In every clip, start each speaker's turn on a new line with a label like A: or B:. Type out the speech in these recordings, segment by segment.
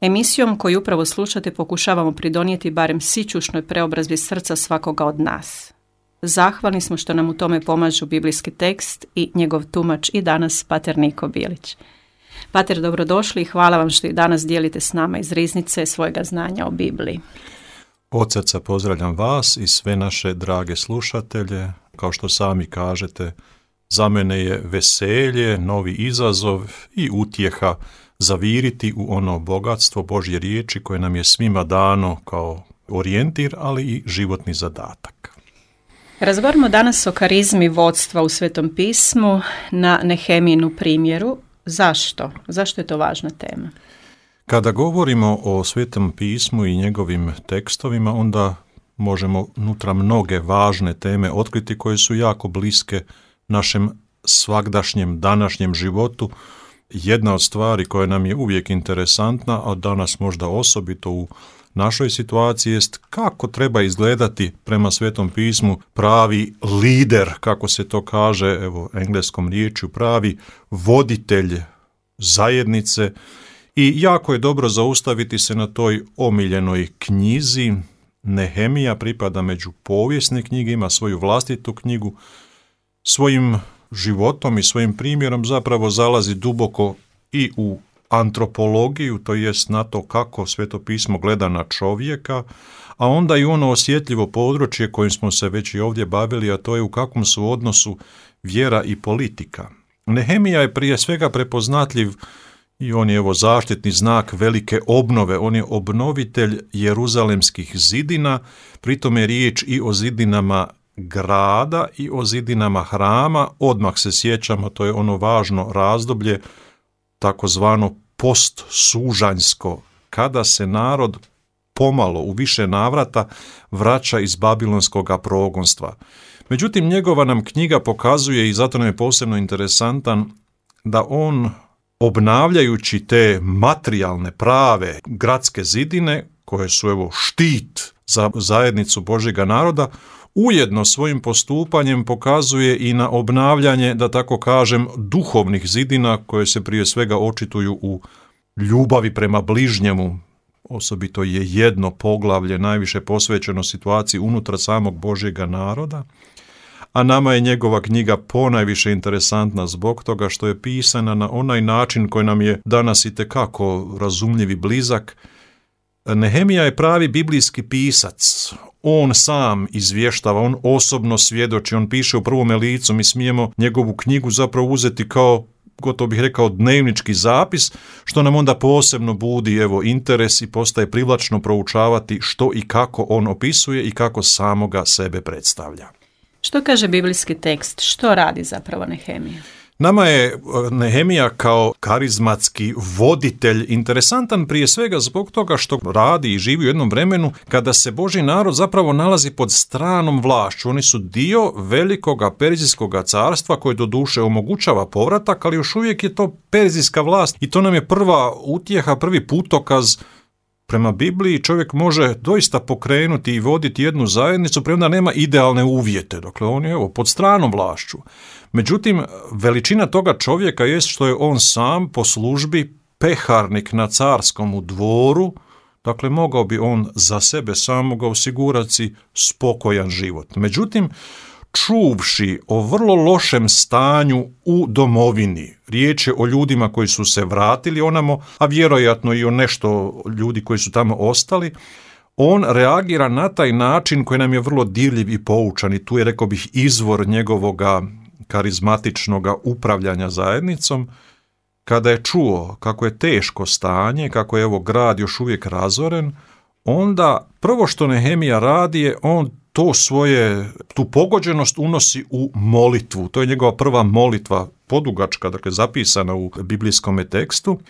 A: Emisijom koju upravo slušate pokušavamo pridonijeti barem sićušnoj preobrazbi srca svakoga od nas. Zahvalni smo što nam u tome pomažu biblijski tekst i njegov tumač i danas pater Niko Bilić. Pater, dobrodošli i hvala vam što i danas dijelite s nama iz riznice svojega znanja o Bibliji.
B: Od srca pozdravljam vas i sve naše drage slušatelje. Kao što sami kažete, za mene je veselje, novi izazov i utjeha zaviriti u ono bogatstvo Božje riječi koje nam je svima dano kao orijentir, ali i životni zadatak.
A: Razgovaramo danas o karizmi vodstva u Svetom pismu na Nehemijinu primjeru. Zašto? Zašto je to važna tema?
B: Kada govorimo o Svetom pismu i njegovim tekstovima, onda možemo unutra mnoge važne teme otkriti koje su jako bliske našem svagdašnjem današnjem životu. Jedna od stvari koja nam je uvijek interesantna, a danas možda osobito u našoj situaciji, jest kako treba izgledati prema Svetom pismu pravi lider, kako se to kaže, evo engleskom riječju, pravi voditelj zajednice. I jako je dobro zaustaviti se na toj omiljenoj knjizi. Nehemija pripada među povijesne knjige, ima svoju vlastitu knjigu, svojim životom i svojim primjerom zapravo zalazi duboko i u antropologiju, to jest na to kako Sveto pismo gleda na čovjeka, a onda i ono osjetljivo područje kojim smo se već i ovdje bavili, a to je u kakvom su odnosu vjera i politika. Nehemija je prije svega prepoznatljiv i on je evo zaštitni znak velike obnove, on je obnovitelj jeruzalemskih zidina, pritom je riječ i o zidinama grada i o zidinama hrama. Odmah se sjećamo, to je ono važno razdoblje, takozvano postsužanjsko, kada se narod pomalo u više navrata vraća iz babilonskog progonstva. Međutim, njegova nam knjiga pokazuje, i zato nam je posebno interesantan, da on, obnavljajući te materijalne, prave gradske zidine, koje su evo štit za zajednicu Božjega naroda, ujedno svojim postupanjem pokazuje i na obnavljanje, da tako kažem, duhovnih zidina koje se prije svega očituju u ljubavi prema bližnjemu. Osobito je jedno poglavlje najviše posvećeno situaciji unutar samog Božjega naroda, a nama je njegova knjiga ponajviše interesantna zbog toga što je pisana na onaj način koji nam je danas itekako razumljiv i blizak. Nehemija je pravi biblijski pisac. On sam izvještava, on osobno svjedoči, on piše u prvome licu. Mi smijemo njegovu knjigu zapravo uzeti kao, gotovo bih rekao, dnevnički zapis, što nam onda posebno budi evo interes i postaje privlačno proučavati što i kako on opisuje i kako samoga sebe predstavlja.
A: Što kaže biblijski tekst? Što radi zapravo Nehemija?
B: Nama je Nehemija kao karizmatski voditelj interesantan prije svega zbog toga što radi i živi u jednom vremenu kada se Božji narod zapravo nalazi pod stranom vlašću. Oni su dio velikoga Perzijskoga carstva koje doduše omogućava povratak, ali još uvijek je to perzijska vlast i to nam je prva utjeha, prvi putokaz. Prema Bibliji čovjek može doista pokrenuti i voditi jednu zajednicu, premda nema idealne uvjete. Dakle, on je evo pod stranom vlašću. Međutim, veličina toga čovjeka jest što je on sam po službi peharnik na carskom dvoru. Dakle, mogao bi on za sebe samoga osigurati spokojan život. Međutim, čuvši o vrlo lošem stanju u domovini, riječ je o ljudima koji su se vratili onamo, a vjerojatno i o nešto ljudi koji su tamo ostali, on reagira na taj način koji nam je vrlo dirljiv i poučan i tu je, rekao bih, izvor njegovoga karizmatičnoga upravljanja zajednicom. Kada je čuo kako je teško stanje, kako je evo grad još uvijek razoren, onda prvo što Nehemija radi je on tu pogođenost unosi u molitvu. To je njegova prva molitva, podugačka, dakle zapisana u biblijskom tekstu.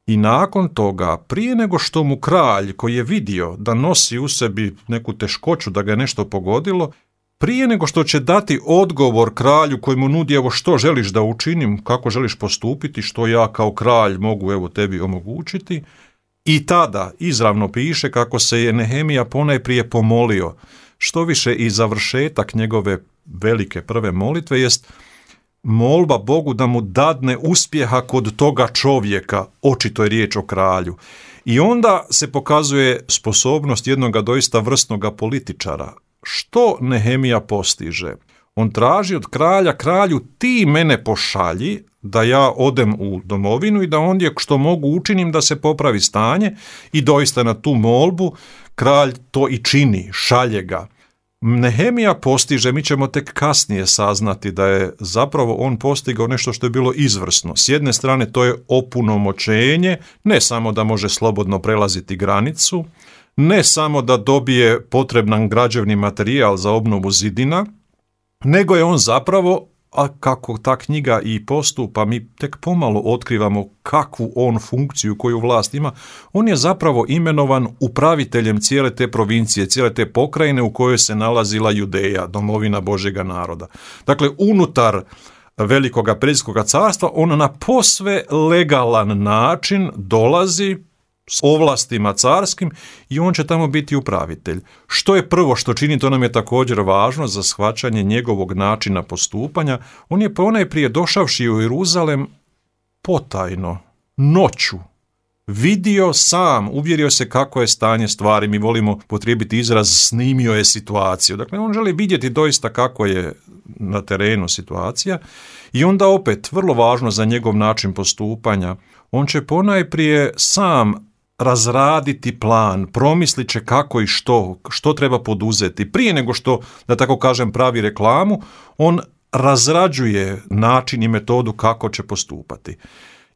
B: I nakon toga, prije nego što mu kralj, koji je vidio da nosi u sebi neku teškoću, da ga je nešto pogodilo, prije nego što će dati odgovor kralju koji mu nudi, evo što želiš da učinim, kako želiš postupiti, što ja kao kralj mogu evo tebi omogućiti, i tada izravno piše kako se je Nehemija ponajprije pomolio. Što više i završetak njegove velike prve molitve jest molba Bogu da mu dadne uspjeha kod toga čovjeka, očito je riječ o kralju. I onda se pokazuje sposobnost jednoga doista vrsnoga političara. Što Nehemija postiže? On traži od kralja, kralju ti mene pošalji da ja odem u domovinu i da ondje što mogu učinim da se popravi stanje, i doista na tu molbu kralj to i čini, šalje ga. Nehemija postiže, mi ćemo tek kasnije saznati da je zapravo on postigao nešto što je bilo izvrsno. S jedne strane to je opunomoćenje, ne samo da može slobodno prelaziti granicu, ne samo da dobije potreban građevni materijal za obnovu zidina, nego je on zapravo, a kako ta knjiga i postupa, mi tek pomalo otkrivamo kakvu on funkciju, koju vlast ima, on je zapravo imenovan upraviteljem cijele te provincije, cijele te pokrajine u kojoj se nalazila Judeja, domovina Božjega naroda. Dakle, unutar Velikoga Perzijskoga carstva on na posve legalan način dolazi s ovlastima carskim i on će tamo biti upravitelj. Što je prvo što čini, to nam je također važno za shvaćanje njegovog načina postupanja. On je ponajprije došavši u Jeruzalem potajno, noću, vidio sam, uvjerio se kako je stanje stvari, mi volimo potrijebiti izraz snimio je situaciju. Dakle, on želi vidjeti doista kako je na terenu situacija i onda opet, vrlo važno za njegov način postupanja, on će ponajprije sam razraditi plan, promislit će kako i što treba poduzeti. Prije nego što, da tako kažem, pravi reklamu, on razrađuje način i metodu kako će postupati.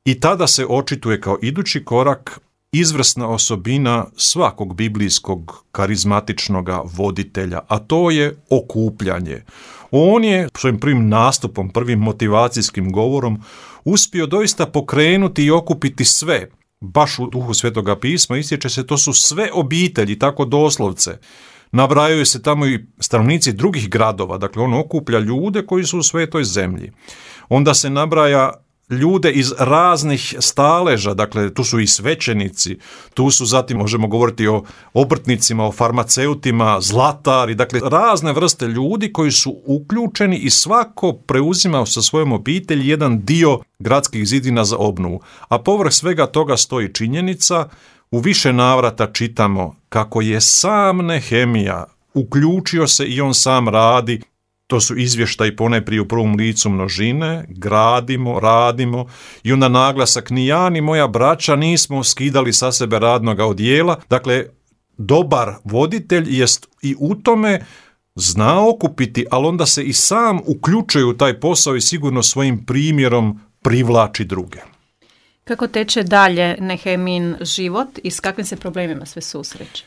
B: I tada se očituje kao idući korak izvrsna osobina svakog biblijskog karizmatičnog voditelja, a to je okupljanje. On je svojim prvim nastupom, prvim motivacijskim govorom uspio doista pokrenuti i okupiti sve. Baš u duhu Svetoga pisma ističe se, to su sve obitelji, tako doslovce. Nabrajaju se tamo i stanovnici drugih gradova, dakle on okuplja ljude koji su u svetoj zemlji. Onda se nabraja ljude iz raznih staleža, dakle tu su i svećenici, tu su zatim, možemo govoriti o obrtnicima, o farmaceutima, zlatari, dakle razne vrste ljudi koji su uključeni i svako preuzima sa svojom obitelji jedan dio gradskih zidina za obnovu. A povrh svega toga stoji činjenica, u više navrata čitamo kako je sam Nehemija uključio se i on sam radi. To su izvještaji ponajprije u prvom licu množine, gradimo, radimo i onda naglasak, ni ja ni moja braća nismo skidali sa sebe radnoga odijela. Dakle, dobar voditelj jest i u tome zna okupiti, ali onda se i sam uključuje u taj posao i sigurno svojim primjerom privlači druge.
A: Kako teče dalje Nehemijin život i s kakvim se problemima sve susreće?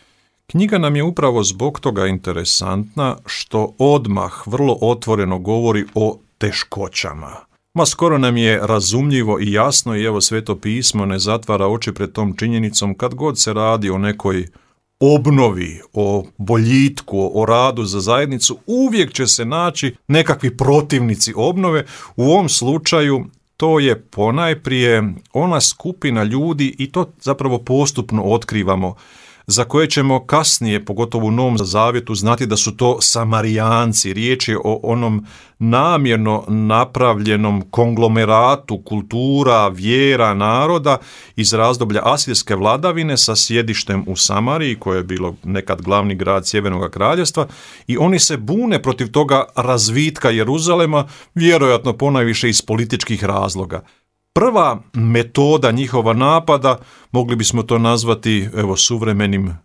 B: Knjiga nam je upravo zbog toga interesantna što odmah vrlo otvoreno govori o teškoćama. Skoro nam je razumljivo i jasno i evo Sveto pismo ne zatvara oči pred tom činjenicom kad god se radi o nekoj obnovi, o boljitku, o radu za zajednicu, uvijek će se naći nekakvi protivnici obnove. U ovom slučaju to je ponajprije ona skupina ljudi i to zapravo postupno otkrivamo, za koje ćemo kasnije, pogotovo u Novom Zavjetu, znati da su to Samarijanci. Riječ je o onom namjerno napravljenom konglomeratu kultura, vjera, naroda iz razdoblja asirske vladavine sa sjedištem u Samariji, koje je bilo nekad glavni grad Sjevernog kraljevstva, i oni se bune protiv toga razvitka Jeruzalema, vjerojatno ponajviše iz političkih razloga. Prva metoda njihova napada, mogli bismo to nazvati suvremenim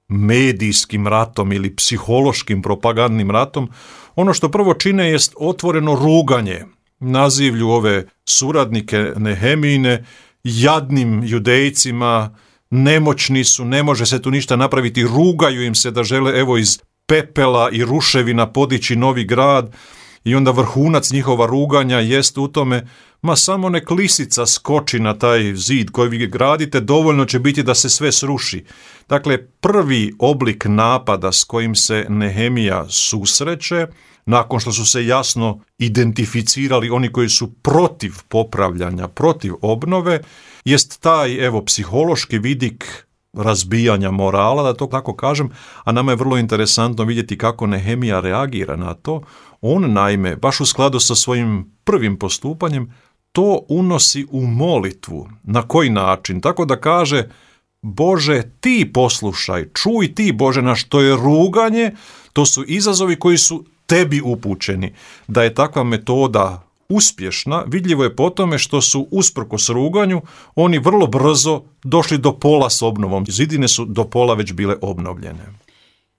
B: medijskim ratom ili psihološkim propagandnim ratom. Ono što prvo čine jest otvoreno ruganje, nazivlju ove suradnike Nehemijine jadnim Judejcima, nemoćni su, ne može se tu ništa napraviti, rugaju im se da žele iz pepela i ruševina podići novi grad. I onda vrhunac njihova ruganja jest u tome, samo nek lisica skoči na taj zid koji vi gradite, dovoljno će biti da se sve sruši. Dakle, prvi oblik napada s kojim se Nehemija susreće, nakon što su se jasno identificirali oni koji su protiv popravljanja, protiv obnove, jest taj psihološki vidik razbijanja morala, da to tako kažem, a nama je vrlo interesantno vidjeti kako Nehemija reagira na to. On naime, baš u skladu sa svojim prvim postupanjem, to unosi u molitvu. Na koji način? Tako da kaže: Bože, ti poslušaj, čuj ti, Bože naš, to je ruganje, to su izazovi koji su tebi upućeni. Da je takva metoda uspješna, vidljivo je po tome što su usprkos ruganju oni vrlo brzo došli do pola s obnovom. Zidine su do pola već bile obnovljene.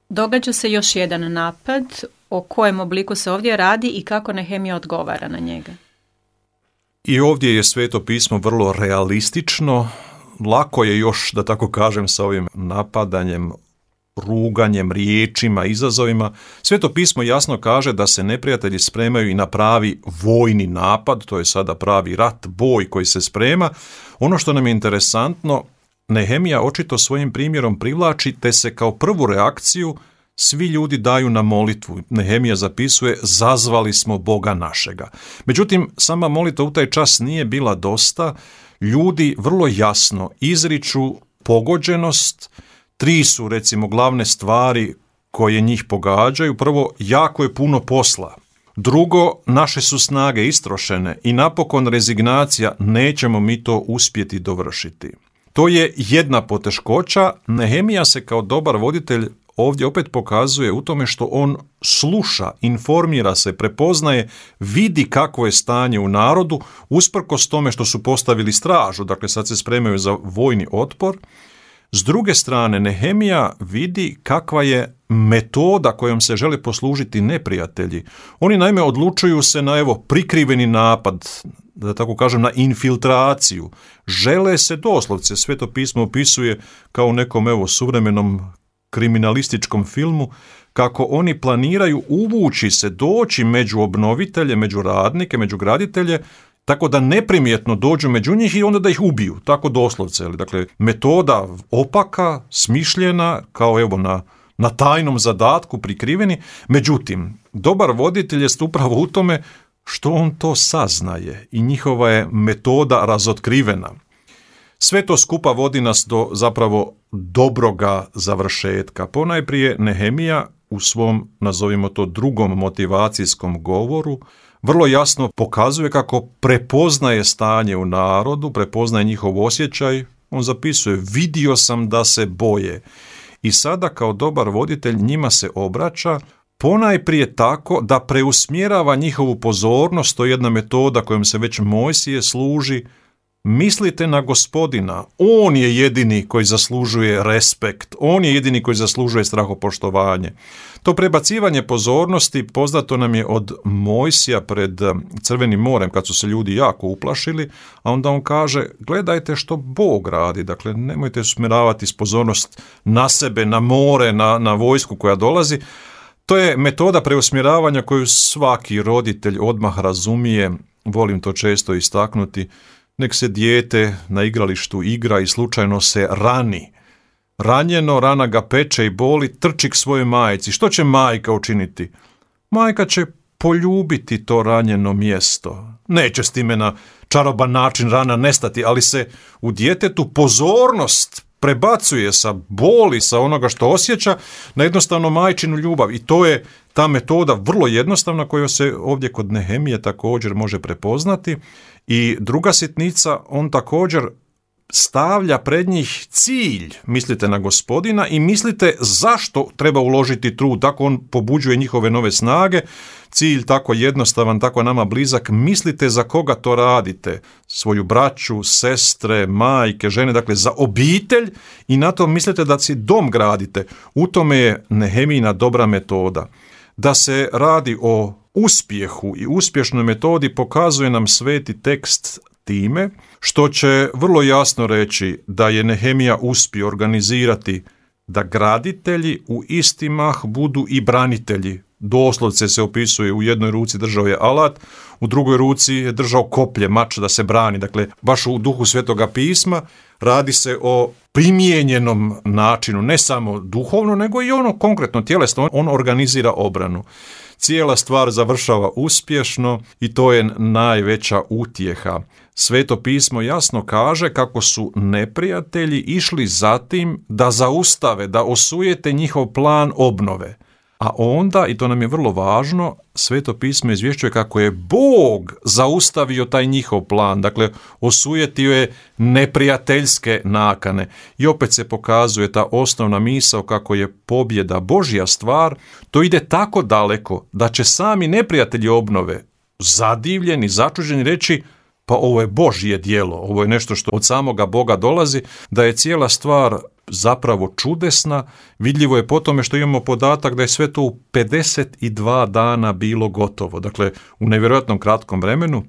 A: Događa se još jedan napad. O kojem obliku se ovdje radi i kako Nehemija odgovara na njega?
B: I ovdje je Sveto pismo vrlo realistično. Lako je još, da tako kažem, sa ovim napadanjem, ruganjem, riječima, izazovima. Sveto pismo jasno kaže da se neprijatelji spremaju i na pravi vojni napad, to je sada pravi rat, boj koji se sprema. Ono što nam je interesantno, Nehemija očito svojim primjerom privlači, te se kao prvu reakciju svi ljudi daju na molitvu. Nehemija zapisuje: zazvali smo Boga našega. Međutim, sama molitva u taj čas nije bila dosta. Ljudi vrlo jasno izriču pogođenost. 3 su recimo glavne stvari koje njih pogađaju. Prvo, jako je puno posla. Drugo, naše su snage istrošene. I napokon rezignacija, nećemo mi to uspjeti dovršiti. To je jedna poteškoća. Nehemija se kao dobar voditelj ovdje opet pokazuje u tome što on sluša, informira se, prepoznaje, vidi kakvo je stanje u narodu, usprkos tome što su postavili stražu, dakle sad se spremaju za vojni otpor. S druge strane, Nehemija vidi kakva je metoda kojom se žele poslužiti neprijatelji. Oni naime odlučuju se na prikriveni napad, da tako kažem, na infiltraciju. Žele se doslovce, Sveto pismo opisuje kao u nekom suvremenom kriminalističkom filmu, kako oni planiraju uvući se, doći među obnovitelje, među radnike, među graditelje, tako da neprimjetno dođu među njih i onda da ih ubiju, tako doslovce. Dakle, metoda opaka, smišljena, kao na tajnom zadatku prikriveni. Međutim, dobar voditelj jest upravo u tome što on to saznaje i njihova je metoda razotkrivena. Sve to skupa vodi nas do zapravo dobroga završetka. Ponajprije Nehemija u svom, nazovimo to, drugom motivacijskom govoru vrlo jasno pokazuje kako prepoznaje stanje u narodu, prepoznaje njihov osjećaj. On zapisuje: vidio sam da se boje. I sada kao dobar voditelj njima se obraća, ponajprije tako da preusmjerava njihovu pozornost. To je jedna metoda kojom se već Mojsije služi. Mislite na Gospodina, on je jedini koji zaslužuje respekt, on je jedini koji zaslužuje strahopoštovanje. To prebacivanje pozornosti poznato nam je od Mojsija pred Crvenim morem, kad su se ljudi jako uplašili, a onda on kaže: gledajte što Bog radi, dakle nemojte usmjeravati pozornost na sebe, na more, na vojsku koja dolazi. To je metoda preusmjeravanja koju svaki roditelj odmah razumije, volim to često istaknuti. Nek se dijete na igralištu igra i slučajno se rani. Ranjeno, rana ga peče i boli, trči k svojoj majci. Što će majka učiniti? Majka će poljubiti to ranjeno mjesto. Neće s time na čaroban način rana nestati, ali se u djetetu pozornost prebacuje sa boli, sa onoga što osjeća, na jednostavno majčinu ljubav. I to je ta metoda vrlo jednostavna koja se ovdje kod Nehemije također može prepoznati. I druga sitnica, on također stavlja pred njih cilj, mislite na Gospodina i mislite zašto treba uložiti trud, tako on pobuđuje njihove nove snage, cilj tako jednostavan, tako nama blizak, mislite za koga to radite, svoju braću, sestre, majke, žene, dakle za obitelj i na to mislite da si dom gradite. U tome je Nehemijina dobra metoda. Da se radi o uspjehu i uspješnoj metodi pokazuje nam sveti tekst time što će vrlo jasno reći da je Nehemija uspio organizirati da graditelji u isti mah budu i branitelji. Doslovce se opisuje, u jednoj ruci držao je alat, u drugoj ruci je držao koplje, mač da se brani. Dakle, baš u duhu Svetoga pisma radi se o primijenjenom načinu, ne samo duhovno, nego i ono konkretno tjelesno. On organizira obranu. Cijela stvar završava uspješno i to je najveća utjeha. Sveto pismo jasno kaže kako su neprijatelji išli za tim da zaustave, da osujete njihov plan obnove. A onda, i to nam je vrlo važno, Sveto pismo izvješćuje kako je Bog zaustavio taj njihov plan, dakle osujetio je neprijateljske nakane. I opet se pokazuje ta osnovna misao kako je pobjeda Božja stvar, to ide tako daleko da će sami neprijatelji obnove zadivljeni, začuđeni reći pa ovo je Božje djelo, ovo je nešto što od samoga Boga dolazi, da je cijela stvar zapravo čudesna. Vidljivo je po tome što imamo podatak da je sve to u 52 dana bilo gotovo. Dakle, u nevjerojatnom kratkom vremenu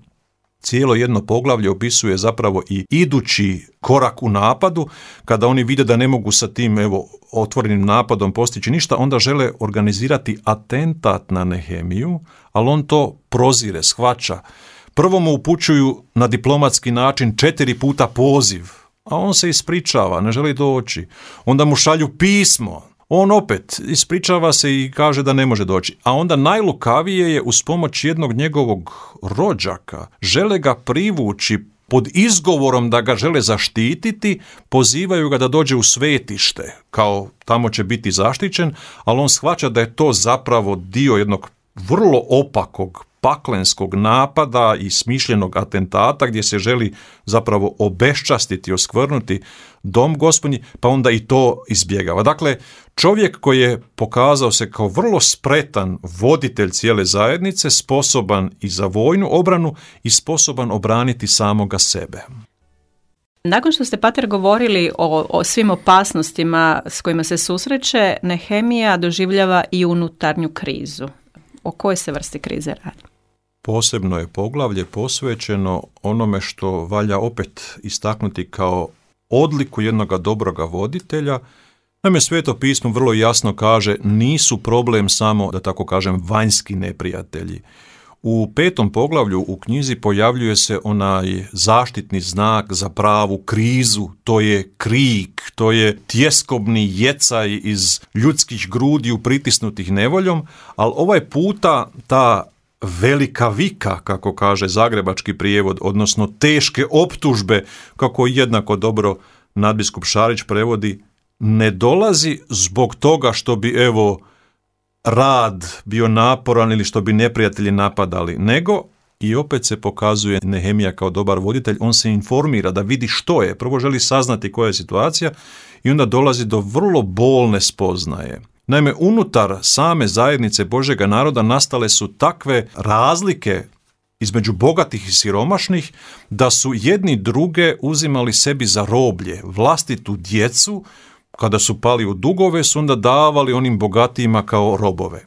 B: cijelo jedno poglavlje opisuje zapravo i idući korak u napadu. Kada oni vide da ne mogu sa tim otvorenim napadom postići ništa, onda žele organizirati atentat na Nehemiju, ali on to prozire, shvaća. Prvo mu upućuju na diplomatski način 4 puta poziv, a on se ispričava, ne želi doći. Onda mu šalju pismo, on opet ispričava se i kaže da ne može doći. A onda najlukavije je uz pomoć jednog njegovog rođaka, žele ga privući pod izgovorom da ga žele zaštititi, pozivaju ga da dođe u svetište, kao tamo će biti zaštićen, ali on shvaća da je to zapravo dio jednog vrlo opakog paklenskog napada i smišljenog atentata gdje se želi zapravo obeščastiti, oskvrnuti dom Gospodnji, pa onda i to izbjegava. Dakle, čovjek koji je pokazao se kao vrlo spretan voditelj cijele zajednice, sposoban i za vojnu obranu i sposoban obraniti samoga sebe.
A: Nakon što ste, pater, govorili o svim opasnostima s kojima se susreće, Nehemija doživljava i unutarnju krizu. O kojoj se vrsti krize radi?
B: Posebno je poglavlje posvećeno onome što valja opet istaknuti kao odliku jednoga dobroga voditelja. Naime, Sveto pismo vrlo jasno kaže nisu problem samo, da tako kažem, vanjski neprijatelji. U 5. poglavlju u knjizi pojavljuje se onaj zaštitni znak za pravu krizu, to je krik, to je tjeskobni jecaj iz ljudskih grudiju pritisnutih nevoljom, ali ovaj puta ta velika vika, kako kaže zagrebački prijevod, odnosno teške optužbe, kako jednako dobro nadbiskup Šarić prevodi, ne dolazi zbog toga što bi rad bio naporan ili što bi neprijatelji napadali, nego i opet se pokazuje Nehemija kao dobar voditelj, on se informira da vidi što je, prvo želi saznati koja je situacija i onda dolazi do vrlo bolne spoznaje. Naime, unutar same zajednice Božjega naroda nastale su takve razlike između bogatih i siromašnih da su jedni druge uzimali sebi za roblje, vlastitu djecu. Kada su pali u dugove, su onda davali onim bogatijima kao robove.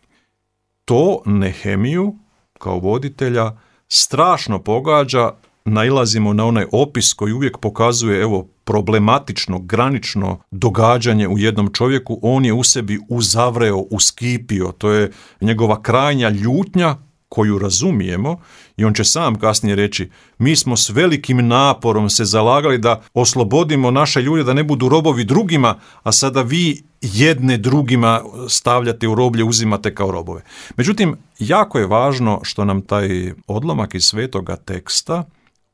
B: To Nehemiju, kao voditelja, strašno pogađa. Nailazimo na onaj opis koji uvijek pokazuje problematično, granično događanje u jednom čovjeku. On je u sebi uzavreo, uskipio. To je njegova krajnja ljutnja koju razumijemo i on će sam kasnije reći mi smo s velikim naporom se zalagali da oslobodimo naše ljude da ne budu robovi drugima, a sada vi jedne drugima stavljate u roblje, uzimate kao robove. Međutim, jako je važno što nam taj odlomak iz svetoga teksta,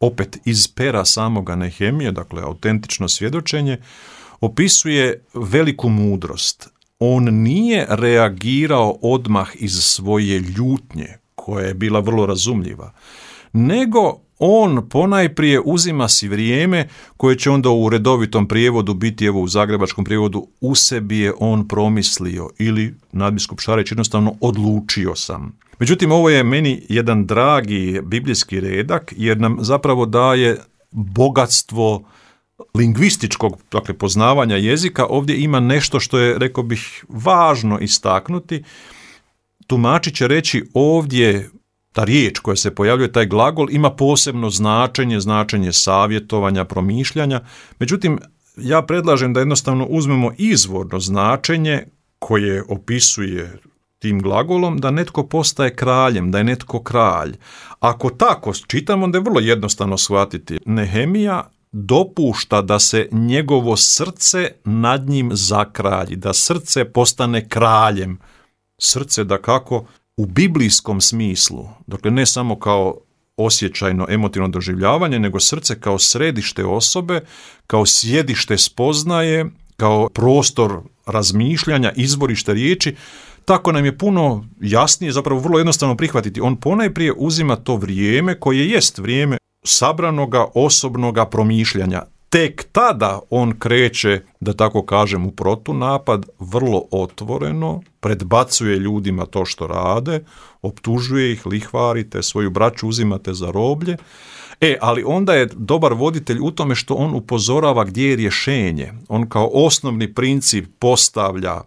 B: opet iz pera samoga Nehemije, dakle autentično svjedočenje, opisuje veliku mudrost. On nije reagirao odmah iz svoje ljutnje, koja je bila vrlo razumljiva, nego on ponajprije uzima si vrijeme koje će onda u redovitom prijevodu biti, u zagrebačkom prijevodu, u sebi je on promislio ili nadbiskup Šarić jednostavno odlučio sam. Međutim, ovo je meni jedan dragi biblijski redak jer nam zapravo daje bogatstvo lingvističkog, dakle poznavanja jezika. Ovdje ima nešto što je, rekao bih, važno istaknuti. Tumači će reći ovdje ta riječ koja se pojavljuje, taj glagol, ima posebno značenje savjetovanja, promišljanja. Međutim, ja predlažem da jednostavno uzmemo izvorno značenje koje opisuje tim glagolom da netko postaje kraljem, da je netko kralj. Ako tako čitamo, onda je vrlo jednostavno shvatiti. Nehemija dopušta da se njegovo srce nad njim zakralji, da srce postane kraljem. Srce dakako u biblijskom smislu, dakle ne samo kao osjećajno, emotivno doživljavanje, nego srce kao središte osobe, kao sjedište spoznaje, kao prostor razmišljanja, izvorište riječi. Tako nam je puno jasnije, zapravo vrlo jednostavno prihvatiti. On ponajprije uzima to vrijeme koje jest vrijeme sabranoga osobnoga promišljanja. Tek tada on kreće, da tako kažem, u protunapad, vrlo otvoreno, predbacuje ljudima to što rade, optužuje ih, lihvarite, svoju braću uzimate za roblje. Ali onda je dobar voditelj u tome što on upozorava gdje je rješenje. On kao osnovni princip postavlja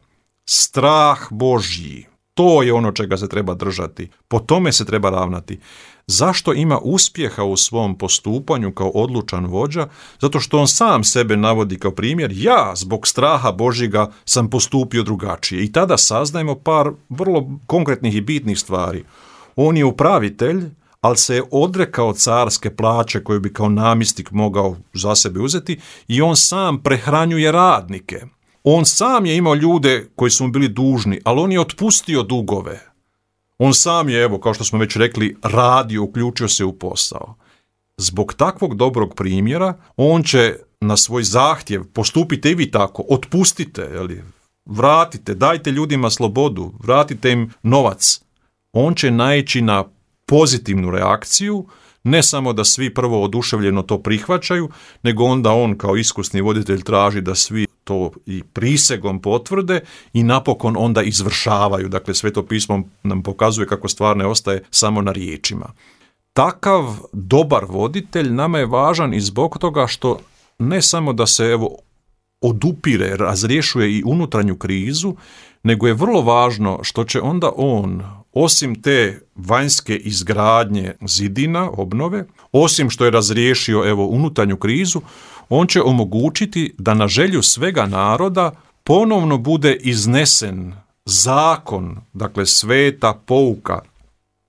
B: strah Božji. To je ono čega se treba držati. Po tome se treba ravnati. Zašto ima uspjeha u svom postupanju kao odlučan vođa? Zato što on sam sebe navodi kao primjer. Ja zbog straha Božjega sam postupio drugačije. I tada saznajemo par vrlo konkretnih i bitnih stvari. On je upravitelj, ali se je odrekao carske plaće koju bi kao namjesnik mogao za sebe uzeti i on sam prehranjuje radnike. On sam je imao ljude koji su mu bili dužni, ali on je otpustio dugove. On sam je, evo, kao što smo već rekli, radio, uključio se u posao. Zbog takvog dobrog primjera, on će na svoj zahtjev, postupite i vi tako, otpustite, vratite, dajte ljudima slobodu, vratite im novac. On će naići na pozitivnu reakciju, ne samo da svi prvo oduševljeno to prihvaćaju, nego onda on kao iskusni voditelj traži da svi to i prisegom potvrde i napokon onda izvršavaju. Dakle, Sveto pismo nam pokazuje kako stvar ne ostaje samo na riječima. Takav dobar voditelj nama je važan i zbog toga što ne samo da se odupire, razriješuje i unutarnju krizu, nego je vrlo važno što će onda on, osim te vanjske izgradnje zidina, obnove, osim što je razriješio unutarnju krizu, on će omogućiti da na želju svega naroda ponovno bude iznesen zakon, dakle sveta pouka,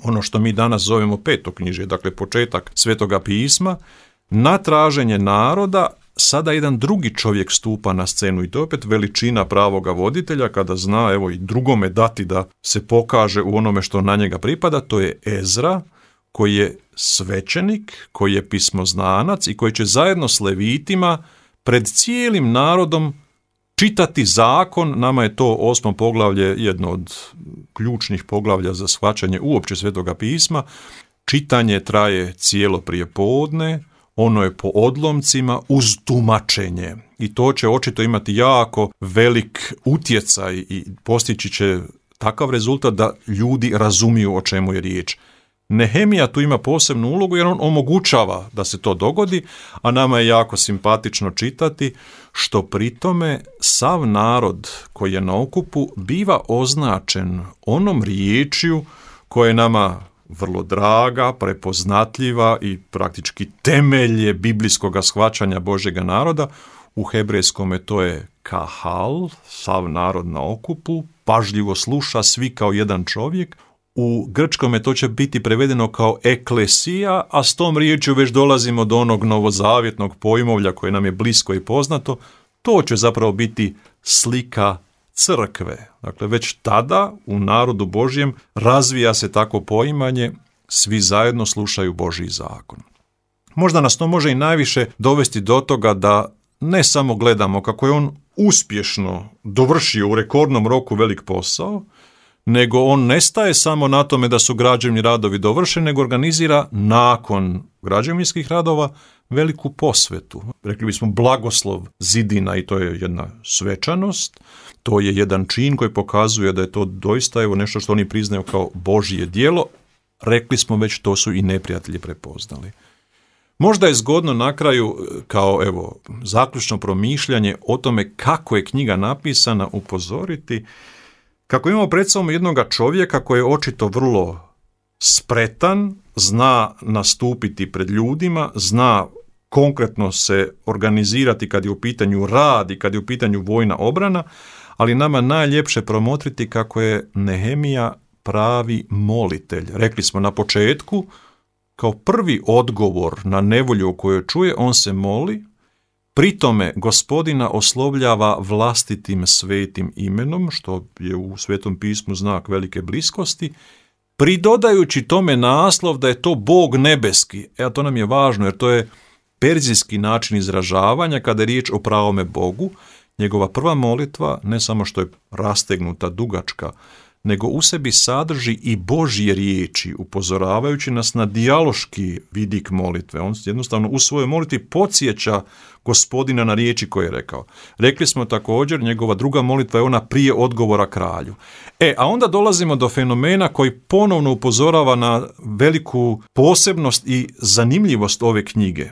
B: ono što mi danas zovemo petoknjižje, dakle početak Svetoga pisma, na traženje naroda. Sada jedan drugi čovjek stupa na scenu i to je opet veličina pravoga voditelja kada zna i drugome dati da se pokaže u onome što na njega pripada. To je Ezra koji je svećenik, koji je pismoznanac i koji će zajedno s levitima pred cijelim narodom čitati zakon. Nama je to 8. poglavlje jedno od ključnih poglavlja za shvaćanje uopće Svetoga pisma. Čitanje traje cijelo prijepodne, ono je po odlomcima uz tumačenje i to će očito imati jako velik utjecaj i postići će takav rezultat da ljudi razumiju o čemu je riječ. Nehemija tu ima posebnu ulogu jer on omogućava da se to dogodi, a nama je jako simpatično čitati što pri tome sav narod koji je na okupu biva označen onom riječju koja je nama vrlo draga, prepoznatljiva i praktički temelje biblijskog shvaćanja Božjega naroda. U hebrejskome to je kahal, sav narod na okupu, pažljivo sluša svi kao jedan čovjek. U grčkome to će biti prevedeno kao eklesija, a s tom riječju već dolazimo do onog novozavjetnog pojmovlja koje nam je blisko i poznato. To će zapravo biti slika crkve. Dakle, već tada u narodu Božjem razvija se tako poimanje, svi zajedno slušaju Božji zakon. Možda nas to može i najviše dovesti do toga da ne samo gledamo kako je on uspješno dovršio u rekordnom roku velik posao, nego on ne staje samo na tome da su građevni radovi dovršeni, nego organizira nakon građevinskih radova veliku posvetu. Rekli bismo blagoslov zidina i to je jedna svečanost, to je jedan čin koji pokazuje da je to doista nešto što oni priznaju kao Božje djelo. Rekli smo već, to su i neprijatelji prepoznali. Možda je zgodno na kraju, kao zaključno promišljanje o tome kako je knjiga napisana, upozoriti kako imamo pred sobom jednoga čovjeka koji je očito vrlo spretan, zna nastupiti pred ljudima, zna konkretno se organizirati kad je u pitanju rad i kad je u pitanju vojna obrana, ali nama najljepše promotriti kako je Nehemija pravi molitelj. Rekli smo na početku, kao prvi odgovor na nevolju koju čuje, on se moli, pri tome Gospodina oslovljava vlastitim svetim imenom, što je u Svetom pismu znak velike bliskosti, pridodajući tome naslov da je to Bog nebeski. To nam je važno jer to je perzijski način izražavanja kada je riječ o pravome Bogu. Njegova prva molitva, ne samo što je rastegnuta, dugačka, nego u sebi sadrži i Božje riječi, upozoravajući nas na dijaloški vidik molitve. On jednostavno u svojoj molitvi podsjeća Gospodina na riječi koje je rekao. Rekli smo također, njegova druga molitva je ona prije odgovora kralju. A onda dolazimo do fenomena koji ponovno upozorava na veliku posebnost i zanimljivost ove knjige.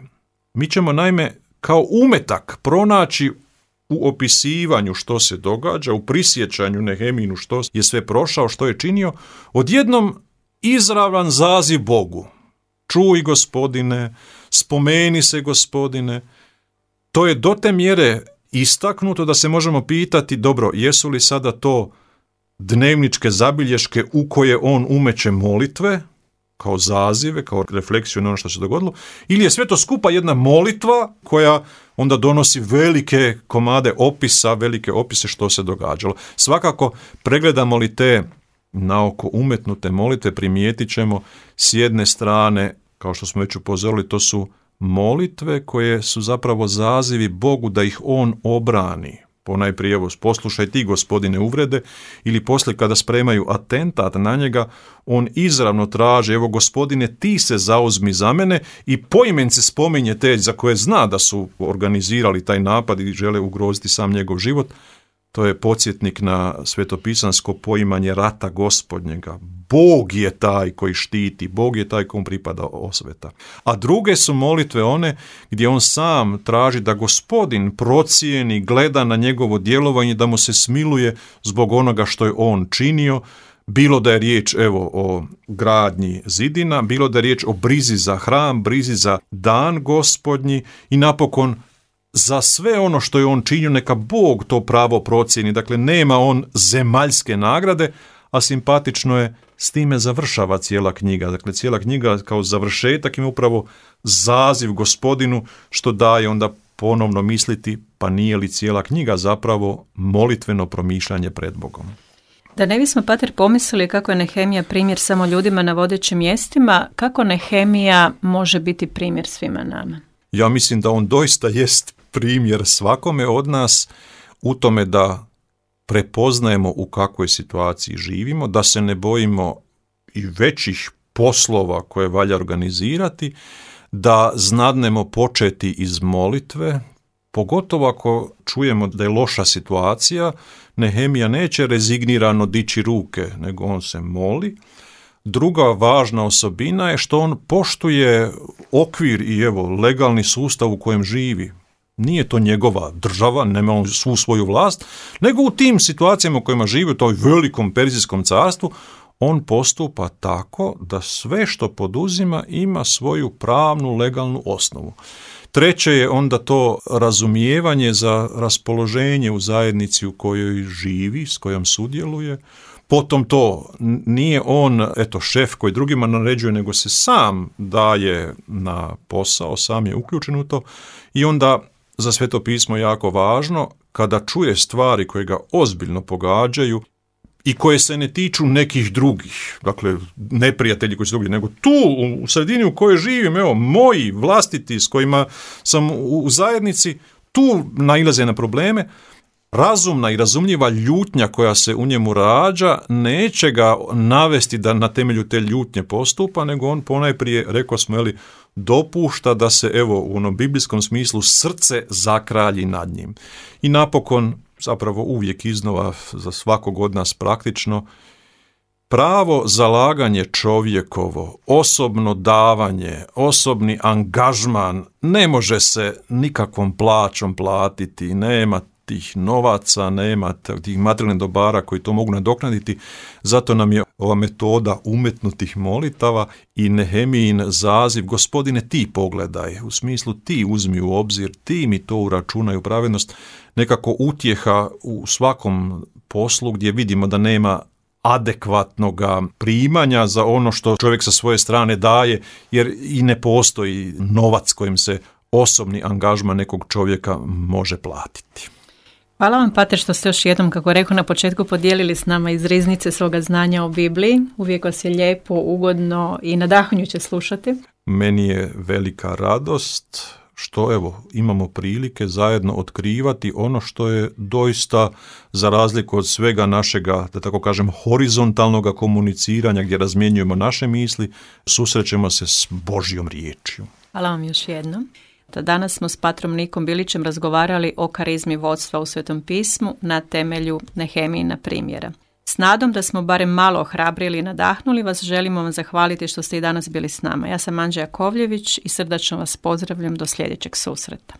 B: Mi ćemo naime kao umetak pronaći u opisivanju što se događa, u prisjećanju Nehemijinu što je sve prošao, što je činio, odjednom izravan zaziv Bogu. Čuj Gospodine, spomeni se Gospodine. To je do te mjere istaknuto da se možemo pitati, dobro, jesu li sada to dnevničke zabilješke u koje on umeće molitve, kao zazive, kao refleksiju na ono što se dogodilo, ili je sve to skupa jedna molitva koja onda donosi velike komade opisa, velike opise što se događalo. Svakako, pregledamo li te naoko umetnute molitve, primijetit ćemo s jedne strane, kao što smo već upozorili, to su molitve koje su zapravo zazivi Bogu da ih on obrani. Ponajprije, evo, poslušaj ti Gospodine uvrede, ili poslije kada spremaju atentat na njega, on izravno traži, evo Gospodine ti se zauzmi za mene, i poimence spominje te za koje zna da su organizirali taj napad i žele ugroziti sam njegov život. To je podsjetnik na svetopisansko poimanje rata Gospodnjega. Bog je taj koji štiti, Bog je taj komu pripada osveta. A druge su molitve one gdje on sam traži da Gospodin procijeni, gleda na njegovo djelovanje, da mu se smiluje zbog onoga što je on činio, bilo da je riječ o gradnji zidina, bilo da je riječ o brizi za hram, brizi za dan Gospodnji i napokon za sve ono što je on činio, neka Bog to pravo procijeni. Dakle, nema on zemaljske nagrade, a simpatično je, s time završava cijela knjiga. Dakle, cijela knjiga kao završetak ima upravo zaziv Gospodinu, što daje onda ponovno misliti, pa nije li cijela knjiga zapravo molitveno promišljanje pred Bogom.
A: Da ne bismo, pater, pomislili kako je Nehemija primjer samo ljudima na vodećim mjestima, kako Nehemija može biti primjer svima nama?
B: Ja mislim da on doista jest primjer svakome od nas u tome da prepoznajemo u kakvoj situaciji živimo, da se ne bojimo i većih poslova koje valja organizirati, da znadnemo početi iz molitve, pogotovo ako čujemo da je loša situacija. Nehemija neće rezignirano dići ruke, nego on se moli. Druga važna osobina je što on poštuje okvir i legalni sustav u kojem živi. Nije to njegova država, nema on svu svoju vlast, nego u tim situacijama u kojima živi, u toj velikom perzijskom carstvu, on postupa tako da sve što poduzima ima svoju pravnu, legalnu osnovu. Treće je onda to razumijevanje za raspoloženje u zajednici u kojoj živi, s kojom sudjeluje. Potom to nije on, šef koji drugima naređuje, nego se sam daje na posao, sam je uključen u to. I onda za Sveto pismo je jako važno kada čuje stvari koje ga ozbiljno pogađaju i koje se ne tiču nekih drugih, dakle neprijatelji koji su drugi, nego tu u sredini u kojoj živim, moji vlastiti s kojima sam u zajednici, tu nailaze na probleme. Razumna i razumljiva ljutnja koja se u njemu rađa neće ga navesti da na temelju te ljutnje postupa, nego on ponajprije, rekao smo, dopušta da se u onom biblijskom smislu srce zakralji nad njim. I napokon, zapravo uvijek iznova za svakog od nas praktično, pravo zalaganje čovjekovo, osobno davanje, osobni angažman ne može se nikakvom plaćom platiti, nema tih novaca, nema tih materijalnih dobara koji to mogu nadoknaditi. Zato nam je ova metoda umetnutih molitava i Nehemijin zaziv, Gospodine ti pogledaj, u smislu ti uzmi u obzir, ti mi to uračunaj u pravednost, nekako utjeha u svakom poslu gdje vidimo da nema adekvatnog primanja za ono što čovjek sa svoje strane daje, jer i ne postoji novac kojim se osobni angažman nekog čovjeka može platiti.
A: Hvala vam, Pater, što ste još jednom, kako rekao na početku, podijelili s nama iz riznice svoga znanja o Bibliji. Uvijek vas je lijepo, ugodno i nadahnjuće slušati.
B: Meni je velika radost što imamo prilike zajedno otkrivati ono što je doista, za razliku od svega našega, da tako kažem, horizontalnog komuniciranja gdje razmjenjujemo naše misli, susrećemo se s Božjom riječju.
A: Hvala vam još jednom. Danas smo s Patrom Nikom Bilićem razgovarali o karizmi vodstva u Svetom pismu na temelju Nehemijina primjera. S nadom da smo barem malo ohrabrili i nadahnuli vas, želimo vam zahvaliti što ste i danas bili s nama. Ja sam Anđela Kovljević i srdačno vas pozdravljam do sljedećeg susreta.